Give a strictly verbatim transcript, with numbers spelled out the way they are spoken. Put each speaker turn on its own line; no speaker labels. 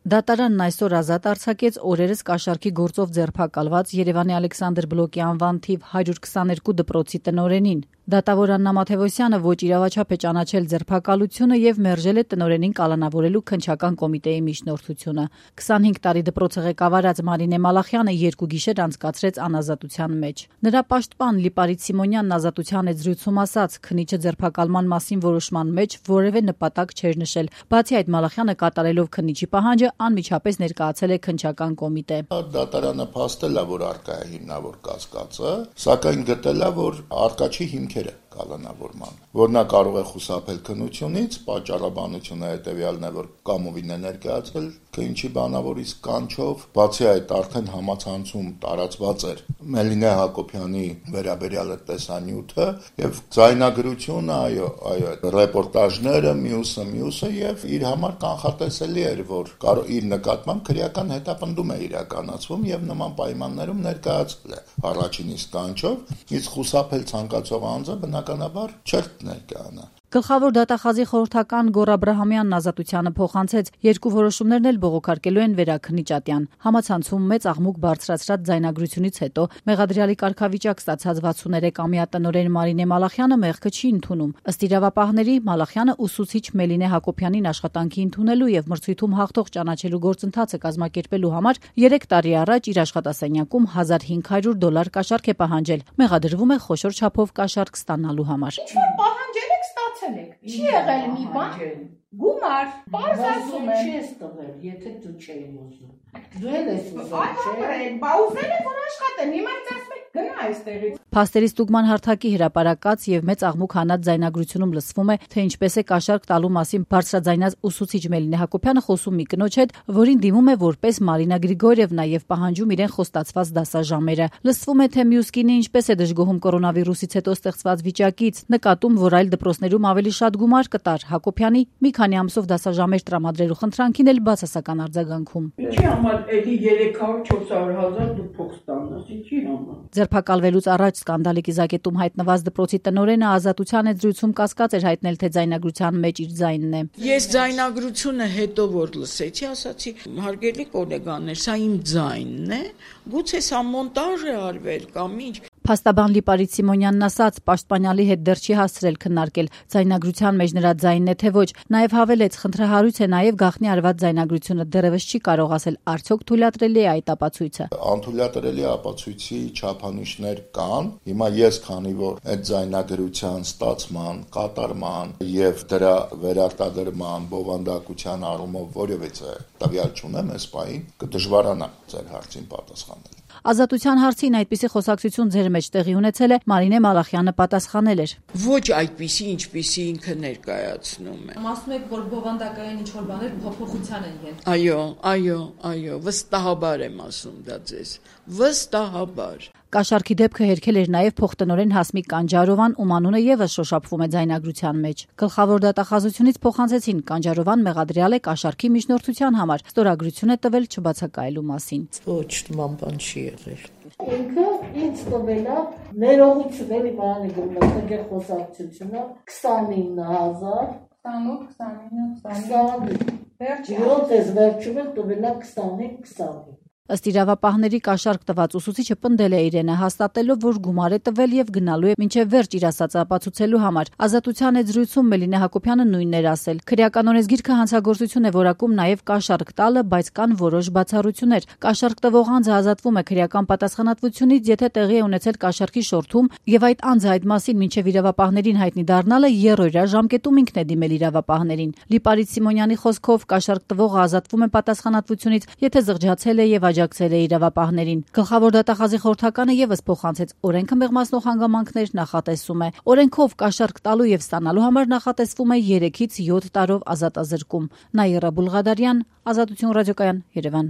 Դատարանն այսօր ազատ արձակեց օրերս կաշառքի գործով ձերբակալված Երևանի Ալեքսանդր Բլոկի անվան թիվ հարյուր քսաներկու դպրոցի տնօրենին։ Դատավոր Աննա Մաթևոսյանը ոչ իրավաչափ է ճանաչել ձերբակալությունը եւ մերժել է տնօրենին կալանավորելու քննչական կոմիտեի միջնորդությունը։ քսանհինգ տարի դպրոցը ղեկավարած Մարինե Մալախյանը երկու գիշեր անցկացրեց անազատության մեջ։ Նրա պաշտպան Լիպարիտ Սիմոնյանն ազատության հետ զրույցում ասաց, քննիչը ձերբակալման մասին որոշման մեջ որևէ նպատակ չէր նշել։ Բացի այդ, Մալախյանը կատարելով քննիչի պահանջը անմիջապես ներկայացել է քննչական կոմիտե։
Դատարանը փաստել է, որ արկա է հիմնավոր կասկածը, սակայն գտել է, որ արկա չի հիմքերը կալանավորման, որ նա կարող է խուսափել քննությունից, պատճառաբանությունը հետևյալն է, որ կամովին է ներկայացել քննիչի բանավորից կանչով, բացի այդ արդեն համացանցում տարածված էր Մելինե Հակոբյանի վերաբերյալ տեսանյութը եւ ձայնագրությունը, այո, այո, ռեպորտաժները, մյուսը, մյուսը եւ իր համար կանխատեսելի էր, որ կարող իր նկատմամբ քրեական հետապնդում է իրականացվում եւ նման պայմաններում ներկայացել է առաջին իսկ կանչով, իսկ խուսափել ցանկացող անձը բնականաբար չէր ներկայանա։
Գլխավոր դատախազի խորհրդական Գոռ Աբրահամյանն ազատությանը փոխանցեց, երկու որոշումներն էլ բողոքարկելու են Վերաքննիչ ատյան։ Համացանցում մեծ աղմուկ բարձրացրած ձայնագրությունից հետո մեղադրյալի կարգավիճակ ստացած վաթսուններեք-ամյա տնօրեն Մարինե Մալախյանը մեղքը չի ընդունում։ Ըստ իրավապահների, Մալախյանը ուսուցիչ Մելինե Հակոբյանին աշխատանքի ընդունելու եւ մրցույթում հաղթող ճանաչելու գործընթացը կազմակերպելու համար երեք տարի առաջ իր աշխատասենյակում հազար հինգ հարյուր դոլար կաշառք է պահանջել։ Մեղադրվում է խոշոր չափով կաշառք ստանալու համար։
Չի եղել մի բան, գումար, բարձ ասում
եմ, չի ես տվել, եթե դու չէի ուզում, դու էլ ես ուզում, չէ,
բա ուզել է, որ աշխատեն, հիմա ինձ ասում եք, գնա այստեղից։
Փաստերի ստուգման հարթակի հրապարակած եւ մեծ աղմուկ հանած ձայնագրությունում լսվում է, թե ինչպես է կաշառք տալու մասին բարձրաձայնած ուսուցիչ Մելինե Հակոբյանը խոսում մի կնոջ հետ, որին դիմում է որպես Մարինա Գրիգորիևնա եւ պահանջում իրեն խոստացված դասաժամերը։ Լսվում է, թե մյուս կինը ինչպես է դժգոհում կորոնավիրուսից հետո ստեղծված վիճակից, նկատում, որ այլ դպրոցներում ավելի շատ գումար կտար Հակոբյանի մի քանի ամսով դասաժամեր տրամադրելու խնդրանքին էլ բացասական արձագանքում։
Ինչի համար էլի երեք հարյուր չորս հարյուր հազար դու փող ստանաս, ինչի համար։
Ձերբակալվելուց առաջ սկանդալի կիզակետում հայտնված դպրոցի տնօրենը ազատության հետ զրույցում կասկած էր հայտնել, թե ձայնագրության մեջ իր ձայնն է։
Ես ձայնագրությունը հետո որ լսեցի, ասացի, հարգելի գոլեգաներ, սա իմ ձայնն է, գուցե սա մոնտաժ է արվել կամ ինչ։
Փաստաբան Լիպարիտ Սիմոնյանն ասաց, պաշտպանյալի հետ դեռ չի հասցրել քննարկել ձայնագրության մեջ նրա ձայնն է թե ոչ։ Նաև հավելեց, խնդրահարույց է նաև գաղտնի արված ձայնագրությունը դեռևս չի կարող ասել, արդյոք թույլատրելի է այդ ապացույցը։
Անթույլատրելի ապացույցի չափանիշներ կան։ Հիմա ես, քանի որ այդ ձայնագրության ստացման, կատարման եւ դրա վերարտադրման, բովանդակության առումով որևէ տվյալ չունեմ, այս պահին կդժվարանա ձեր հարցին պատասխանել։
Ազատության հարցին այդպիսի խոսակցություն ձեր մեջ տեղի ունեցել է, Մարինե Մալախյանը պատասխանել էր։
Ոչ այդպիսի, ինչպիսի ինքը ներկայացնում է։
Ասում եք, որ բովանդակային ինչ-որ բաներ փոփոխության են յեն։
Այո, այո, այո, վստահաբար եմ ասում դա ձեզ։ Վստահաբար։
Կաշառքի դեպքը հերքել էր նաև փոխտնօրեն Հասմիկ Կանջարովան, ում անունը եւս շոշափվում է ձայնագրության մեջ։ Գլխավոր դատախազությունից փոխանցեցին Կանջարովան մեղադրյալ է կաշառքի միջնորդության համար, ստորագրություն է տվել չբացակայելու մասին։
Ոչ, նման բան չի եղել։
Ինքը ինձ տվել է ներողություն էլի բանի գումարը խոսակցությունը քսանինը հազար
քսանութ, քսանինը, քսանինը։
Վերջի հոդես վերջում էլ տվել է քսանինը, քսանինը։
Ըստ իրավապահների կաշառք տված ուսուցիչը պնդել է իրենը, հաստատելով, որ գումար է տվել եւ գնալու է մինչեւ վերջ իր ասածը ապացուցելու համար։ Ազատության հետ զրույցում Մելինե Հակոբյանը նույնն էր ասել։ Քրեական օրենսգիրքը հանցագործություն է որակում նաեւ կաշառք տալը, բայց կան որոշ բացառություններ։ Կաշառք տվող անձը ազատվում է քրեական պատասխանատվությունից, եթե տեղի է ունեցել կաշառքի շորթում եւ այդ անձը այդ մասին մինչեւ իրավապահներին հայտնի դառնալը եռօրյա ժամկետում ինքն է դիմել իրավապահներին։ Լիպարիտ Սիմոնյանի խոսքով կաշառք տվողը ազատվում է պատասխանատվությունից, եթե զղջացել է եւ աջակցել է իրավապահներին։ Գլխավոր դատախազի խորհրդականը եւս փոխանցեց օրենքը մեղմացնող հանգամանքներ նախատեսում է։ Օրենքով կաշառք տալու եւ ստանալու համար նախատեսվում է երեքից յոթ տարով ազատազրկում։ Նաիրա Բուլղադարյան, Ազատություն ռադիոկայան, Երևան։